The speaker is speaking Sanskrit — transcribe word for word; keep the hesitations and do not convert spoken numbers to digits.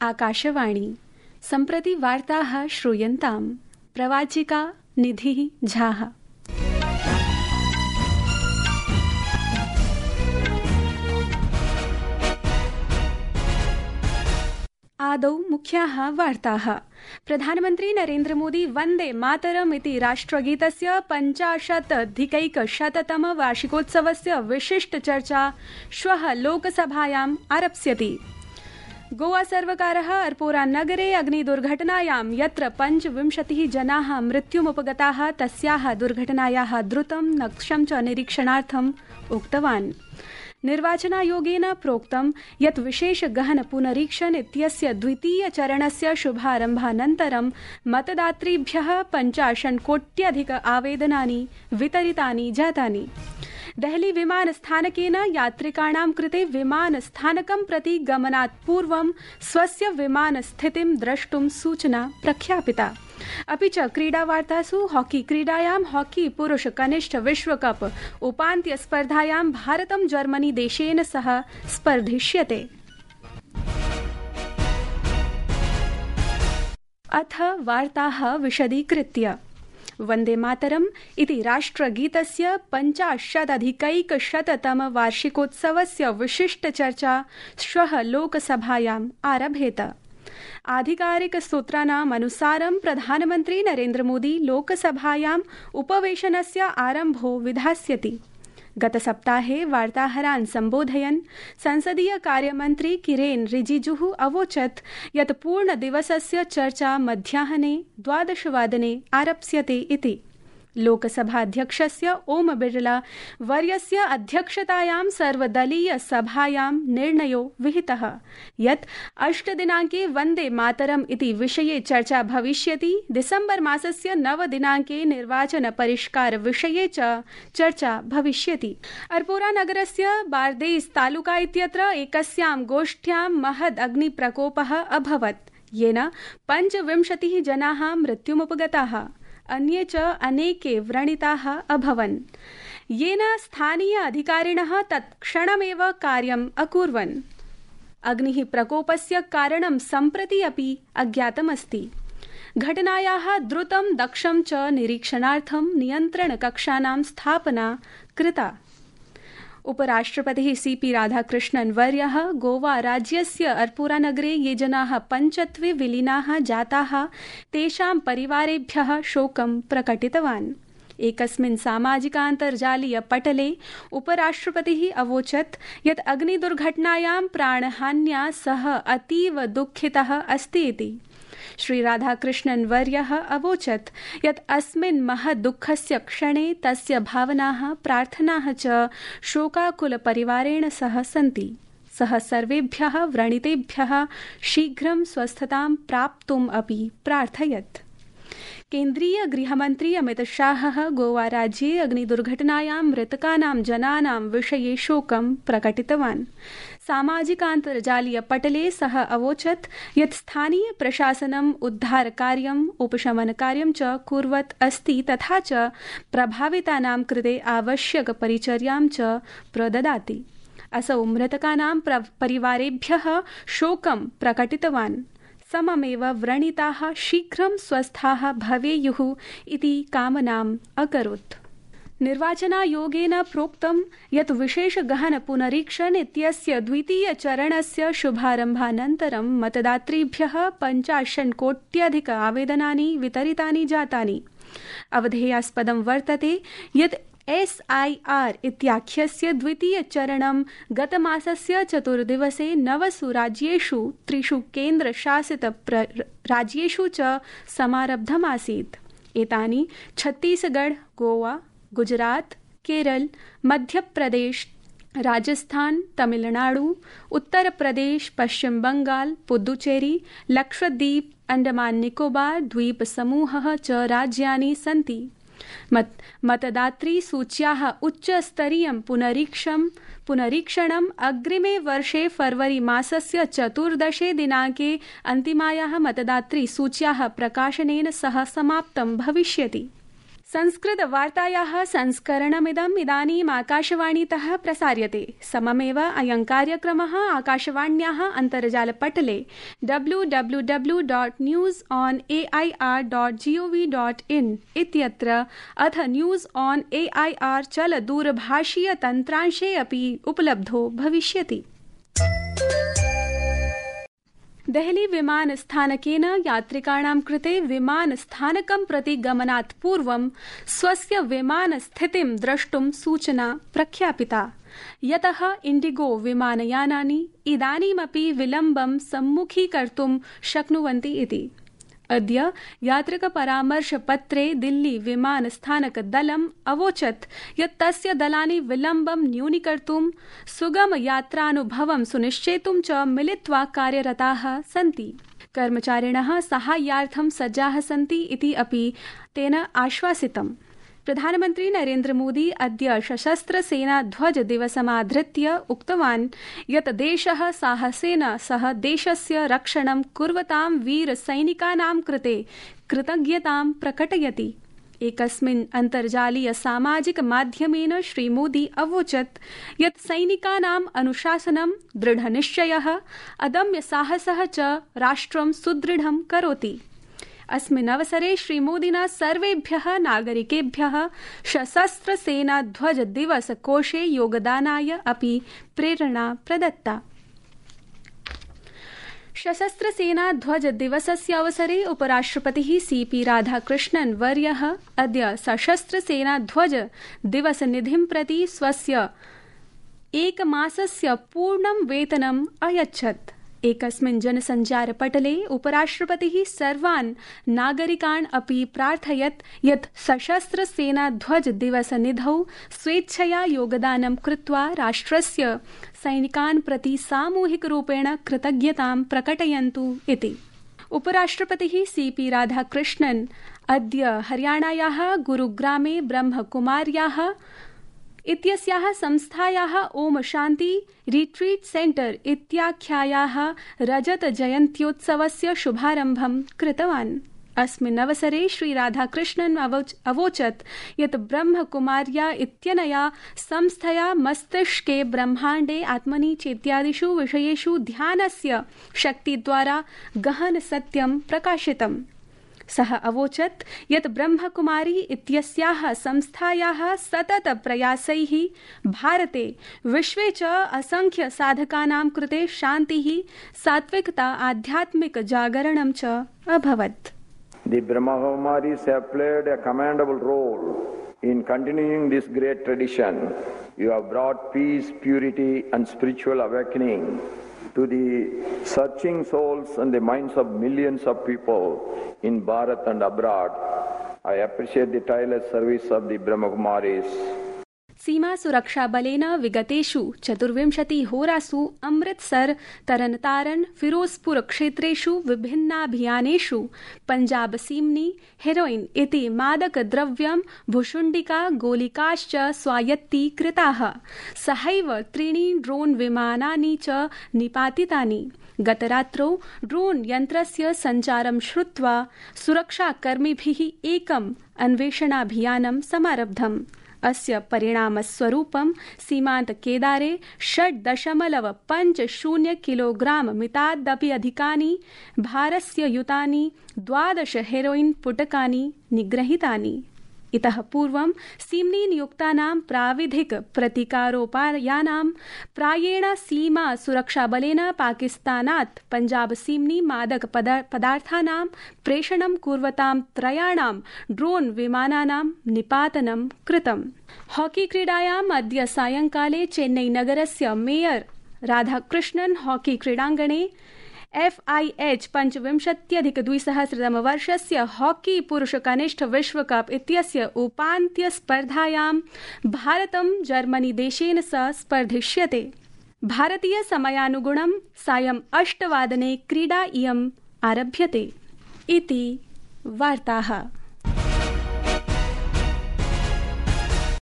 आकाशवाणी सम्प्रति वार्ताः श्रूयन्ताम्। प्रवाचिका निधिः झाः। आदौ मुख्याः वार्ताः। प्रधानमन्त्री नरेन्द्र मोदी वन्दे मातरम् इति राष्ट्रगीतस्य पञ्चाशदधिकैकशततम वार्षिकोत्सवस्य विशिष्टचर्चा श्वः लोकसभायाम् आरप्स्यति। गोवा सर्वकारः अरपोरा नगरे अग्निदुर्घटनायां यत्र पञ्चविंशतिः जनाः मृत्युमुपगताः तस्याः दुर्घटनायाः द्रुतं नक्षं च निरीक्षणार्थम् उक्तवान्। निर्वाचनायोगेन प्रोक्तं यत् विशेष गहन पुनरीक्षण इत्यस्य द्वितीय चरणस्य शुभारम्भानन्तरं मतदातृभ्यः पञ्चाशत्कोट्यधिक आवेदनानि वितरितानि जातानि। देहली विमानस्थानकेन यात्रिकाणां कृते विमानस्थानकं प्रति गमनात् पूर्वं स्वस्य विमानस्थितिं द्रष्टुं सूचना प्रख्यापिता। अपि च क्रीडावार्तासु हॉकी क्रीडायां हॉकी पुरुष कनिष्ठ विश्वकप उपान्त्य स्पर्धायां भारतं जर्मनी देशेन सह स्पर्धिष्यते। अथ वार्ताः विशदीकृत्य। वन्दे मातरम् इति राष्ट्रगीतस्य पञ्चाशदधिकैकशततम वार्षिकोत्सवस्य विशिष्टचर्चा श्वः लोकसभायाम् आरभेत। आधिकारिकसूत्राणाम् अनुसारं प्रधानमन्त्री नरेन्द्र मोदी लोकसभायाम् उपवेशनस्य आरम्भो विधास्यति। गतसप्ताहे वार्ताहरान् सम्बोधयन् संसदीय कार्यमन्त्री किरेन रिजिजुः अवोचत् यत् पूर्णदिवसस्य चर्चा मध्याह्ने द्वादशवादने आरप्स्यते इति। लोकसभाध्यक्षस्य ओम बिरला वर्यस्य अध्यक्षतायां सर्वदलीय सभायां निर्णयो विहितः यत् अष्टदिनाङ्के वन्दे मातरम् इति विषये चर्चा भविष्यति। दिसम्बर मासस्य नवदिनाङ्के निर्वाचन परिष्कार विषये च चर्चा भविष्यति। अरपोरा नगरस्य बार्देस तालुका इत्यत्र एकस्यां गोष्ठ्यां महद् अग्निप्रकोपः अभवत् येन पञ्चविंशतिः जनाः मृत्युमुपगताः। अन्ये च अनेके व्रणिताः अभवन् येन स्थानीय अधिकारिणः तत्क्षणमेव कार्यम् अकुर्वन्। अग्निः प्रकोपस्य कारणं सम्प्रति अपि अज्ञातमस्ति। घटनायाः द्रुतं दक्षं च निरीक्षणार्थं नियन्त्रणकक्षानां स्थापना कृता। उपराष्ट्रपतिः सीपी राधाकृष्णन् वर्यः गोवा राज्यस्य अरपोरा नगरे ये जनाः पञ्चत्वे विलीनाः जाताः तेषां परिवारेभ्यः शोकं प्रकटितवान्। एकस्मिन् सामाजिकान्तर्जालीय पटले उपराष्ट्रपतिः अवोचत् यत् अग्निदुर्घटनायां प्राणहान्या सः अतीव दुःखितः अस्ति इति। श्री राधाकृष्णन् वर्यः अवोचत् यत् अस्मिन् महद्दुःखस्य क्षणे तस्य भावनाः प्रार्थनाः च शोकाकुलपरिवारेण सह सन्ति। सः सर्वेभ्यः व्रणितेभ्यः शीघ्रं स्वस्थतां प्राप्तुम् अपि प्रार्थयत्। केन्द्रीय गृहमन्त्री अमित शाहः गोवा राज्ये अग्निदुर्घटनायां मृतकानां जनानां विषये शोकं प्रकटितवान्। सामाजिकान्तर्जालीय पटले सः अवोचत् यत् स्थानीय प्रशासनम् उद्धारकार्यम् उपशमनकार्यं च कुर्वत् अस्ति तथा च प्रभावितानां कृते आवश्यकपरिचर्यां च प्रददाति। असौ मृतकानां परिवारेभ्यः शोकं प्रकटितवान्। सममेव व्रणिताः शीघ्रं स्वस्थाः भवेयुः इति कामनाम् अकरोत्। निर्वाचनायोगेन प्रोक्तं यत् विशेष गहन पुनरीक्षण इत्यस्य द्वितीय चरणस्य शुभारम्भानन्तरं मतदातृभ्यः पञ्चाशत्कोट्यधिक आवेदनानि वितरितानि जातानि। अवधेयास्पदं वर्तते यत् एस् ऐ आर् इत्याख्यस्य द्वितीयचरणं गतमासस्य चतुर्दिवसे नवसु राज्येषु त्रिषु केन्द्रशासित राज्येषु च समारब्धमासीत्। एतानि छत्तीसगढ़, गोवा, गुजरात, केरल, मध्यप्रदेश, राजस्थान, तमिलनाडु, उत्तर प्रदेश, पश्चिम बंगाल, पुदुचेरी, लक्षद्वीप, अंडमान निकोबार द्वीप समूहः च राज्यानि सन्ति। मत मतदातृ सूच्याः उच्चस्तरीयं पुनरीक्षं पुनरीक्षणम् अग्रिमे वर्षे फरवरी मासस्य चतुर्दशे दिनाङ्के अन्तिमायाः मतदातृ सूच्याः प्रकाशनेन सह समाप्तं भविष्यति। संस्कृतवार्तायाः संस्करणमिदम् इदानीम् आकाशवाणीतः प्रसार्यते। सममेव अयं कार्यक्रमः आकाशवाण्याः अन्तर्जालपटले W W W dot news on A I R dot G O V dot in इत्यत्र अथ news on A I R चलदूरभाषीयतन्त्रांशे अपि उपलब्धो भविष्यति। देहली विमानस्थानकेन यात्रिकाणां कृते विमानस्थानकं प्रति गमनात् पूर्वं स्वस्य विमानस्थितिं द्रष्टुं सूचना प्रख्यापिता, यतः इण्डिगो विमानयानानि इदानीमपि विलम्बं सम्मुखीकर्तुं शक्नुवन्ति इति। अद्य यात्रिकपरामर्शपत्रे दिल्ली विमानस्थानकदलम् अवोचत् यत् तस्य दलानि विलम्बं न्यूनीकर्तुं सुगमयात्रानुभवं सुनिश्चेतुं च मिलित्वा कार्यरताः सन्ति। कर्मचारिणः साहाय्यार्थं सज्जाः सन्ति इति अपि तेन आश्वासितम्। प्रधानमन्त्री नरेन्द्र मोदी अद्य सशस्त्रसेनाध्वजदिवसमाधृत्य उक्तवान् यत् देशः साहसेन सह देशस्य रक्षणं कुर्वतां वीरसैनिकानां कृते कृतज्ञतां प्रकटयति। एकस्मिन् अन्तर्जालीय सामाजिक माध्यमेन श्रीमोदी अवोचत् यत् सैनिकानाम् अनुशासनं, दृढनिश्चयः, अदम्यसाहसः च राष्ट्रं सुदृढं करोति। अस्मिन् अवसरे श्रीमोदिना सर्वेभ्यः नागरिकेभ्यः सशस्त्रसेनाध्वजदिवसकोषे योगदानाय अपि प्रेरणा प्रदत्ता। सशस्त्रसेनाध्वजदिवसस्य अवसरे उपराष्ट्रपतिः सी पी राधाकृष्णन् वर्यः अद्य सशस्त्रसेनाध्वजदिवसनिधिं प्रति स्वस्य एकमासस्य पूर्णं वेतनम् अयच्छत्। एकस्मिन् जनसञ्चारपटले उपराष्ट्रपतिः सर्वान् नागरिकान् अपि प्रार्थयत् यत् सशस्त्रसेनाध्वजदिवसनिधौ स्वेच्छया योगदानं कृत्वा राष्ट्रस्य सैनिकान् प्रति सामूहिकरूपेण कृतज्ञतां प्रकटयन्तु इति। उपराष्ट्रपतिः सी पी राधाकृष्णन् अद्य हरियाणायाः गुरुग्रामे ब्रह्मकुमार्याः इत्यस्याः संस्थायाः ओम शान्ति रिट्रीट सेंटर इत्याख्यायाः रजतजयन्त्योत्सवस्य शुभारम्भं कृतवान्। अस्मिन् अवसरे श्री राधाकृष्णन् अवोचत् यत् ब्रह्मकुमार्या इत्यनया संस्थया मस्तिष्के ब्रह्माण्डे आत्मनि चेत्यादिषु विषयेषु ध्यानस्य शक्तिद्वारा गहन सत्यं प्रकाशितम्। सः अवोचत् यत् ब्रह्मकुमारी इत्यस्याः संस्थायाः सतत प्रयासैः भारते विश्वे च असंख्य साधकानां कृते शान्तिः, सात्विकता, आध्यात्मिक जागरणं च अभवत्। The Brahmakumaris have played a commendable role in continuing this great tradition. You have brought peace, purity and spiritual awakening to the searching souls and the minds of millions of people in Bharat and abroad. I appreciate the tireless service of the Brahmakumaris. सीमा सुरक्षा बलेन विगतेषु चतुर्विंशति होरासु अमृतसर, तरनतारन, फिरोजपुर क्षेत्रेषु विभिन्नाभियानेषु पंजाब सीम्नि, हेरोइन इति मादकद्रव्यं, भुशुण्डिका, गोलिकाश्च स्वायत्तीकृताः। सहैव त्रीणि ड्रोन विमानानि च निपातितानि। गतरात्रौ ड्रोन यन्त्रस्य सञ्चारं श्रुत्वा सुरक्षाकर्मिभिः एकम् अन्वेषणाभियानं समारब्धम्। अस्य परिणामस्वरूपं सीमान्तकेदारे षड् दशमलव पञ्च शून्य किलोग्राम मितादपि अधिकानि भारस्य युतानि द्वादश हेरोइन पुटकानि निग्रहीतानि। इतः पूर्वं सीम्नि नियुक्तानां प्राविधिक प्रतिकारोपायानां प्रायेण सीमा सुरक्षाबलेन पाकिस्तानात् पञ्जाब सीम्नि मादक पदार्थानां प्रेषणं कुर्वतां त्रयाणां ड्रोन विमानानां निपातनं कृतम्। हॉकी क्रीडायाम् अद्य सायंकाले चेन्नई नगरस्य मेयर राधाकृष्णन् हॉकी क्रीडाङ्गणे एफ आई एच पञ्चविंशत्यधिकद्विसहस्रतमवर्षस्य हॉकी पुरुष कनिष्ठ विश्वकप इत्यस्य उपान्त्यस्पर्धायां भारतं जर्मनी देशेन सह स्पर्धिष्यते। भारतीय समयानुगुणं सायं अष्टवादने क्रीडा इयम् आरभ्यते। इति वार्ताः।